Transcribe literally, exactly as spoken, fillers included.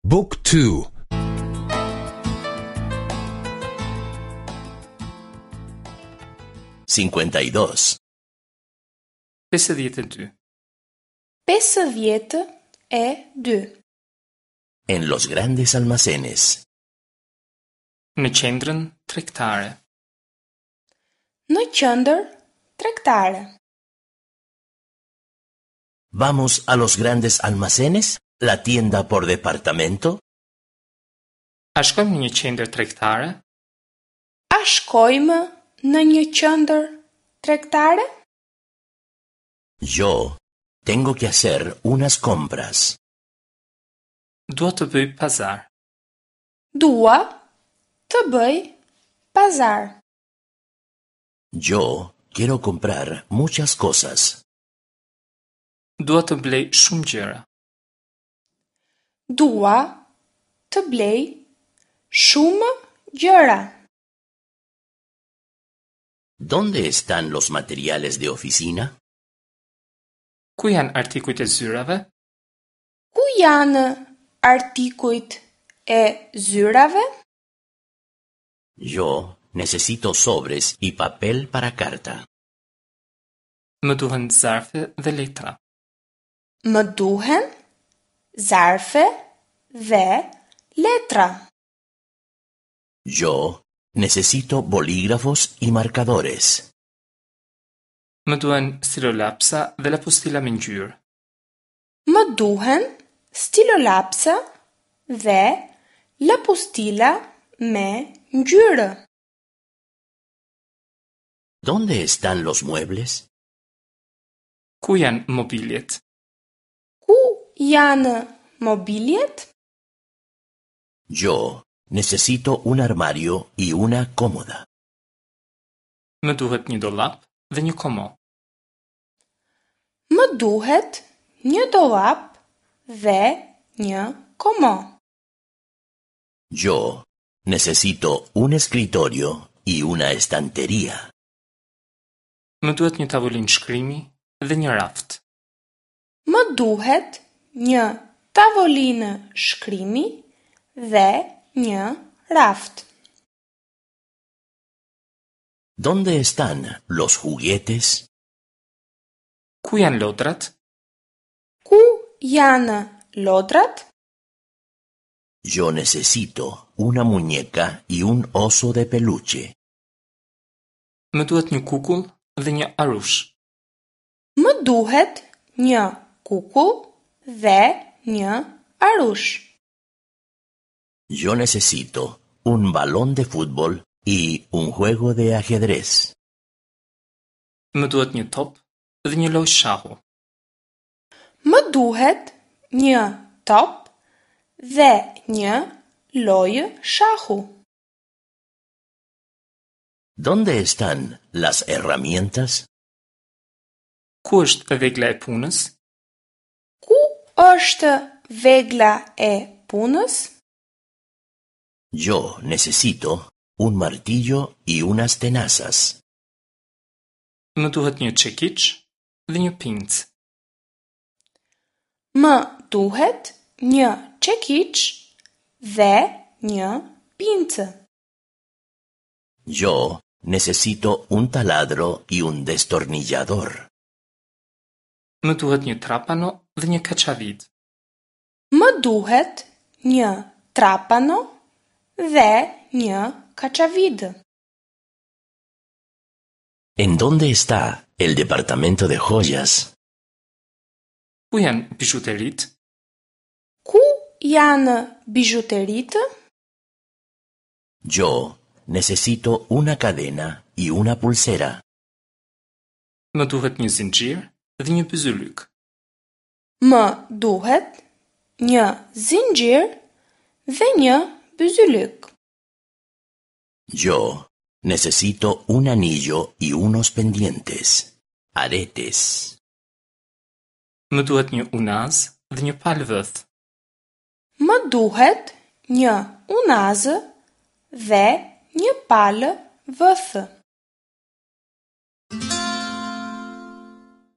Book two. cincuenta y dos, pesëdhjetë e dy. Pesëdhjetë e dy. En los grandes almacenes. Në qendrën tregtare. Në qendër tregtare. ¿Vamos a los grandes almacenes? ¿La tienda por departamento? A shkojmë në një qendër tregtare? A shkojmë në një qendër tregtare? Yo tengo que hacer unas compras. Dua të bëj pazar. Dua të bëj pazar. Yo quiero comprar muchas cosas. Dua të blej shumë gjëra. Dua të blej shumë gjëra. ¿Dónde están los materiales de oficina? Ku janë artikujt e zyrave? Ku janë artikujt e zyrave? Yo necesito sobres y papel para carta. Më duhen zarfe dhe letra. Më duhen zarfe dhe letra. Yo necesito bolígrafos y marcadores. Më duhen stilolapsa dhe lapustila me ngjyrë. Më duhen stilolapsa dhe lapustila me ngjyrë. ¿Dónde están los muebles? Ku janë mobiljet? Ku janë mobiljet? Yo necesito un armario y una cómoda. Më duhet një dollap dhe një komo. Më duhet një dollap dhe një komo. Yo necesito un escritorio y una estantería. Më duhet një tavolinë shkrimi dhe një raft. Më duhet një tavolinë shkrimi dhe një raft. ¿Dónde están los juguetes? Ku janë lodrat? Ku janë lodrat? Yo necesito una muñeca y un oso de peluche. Më duhet një kukull dhe një arush. Më duhet një kukull dhe një arush. Yo necesito un balón de fútbol y un juego de ajedrez. Më duhet një top dhe një lojë shahu. Më duhet një top dhe një lojë shahu. ¿Dónde están las herramientas? Ku është vegla e punës? Ku është vegla e punës? Yo necesito un martillo y unas tenazas. Më duhet një çekiç dhe një pincë. Më duhet një çekiç dhe një pincë. Yo necesito un taladro y un destornillador. Më duhet një trapano dhe një kaçavid. Më duhet një trapano dhe një kaçavid. ¿En dónde está el departamento de joyas? Ku janë bizhuteritë? Ku janë bizhuteritë? Yo necesito una cadena y una pulsera. Më duhet një zinxhir dhe një byzylyk. Më duhet një zinxhir dhe një byzylyk. Yo necesito un anillo y unos pendientes, aretes. Më duhet një unaz dhe një palë vëth. Më duhet një unazë dhe një palë vëthë.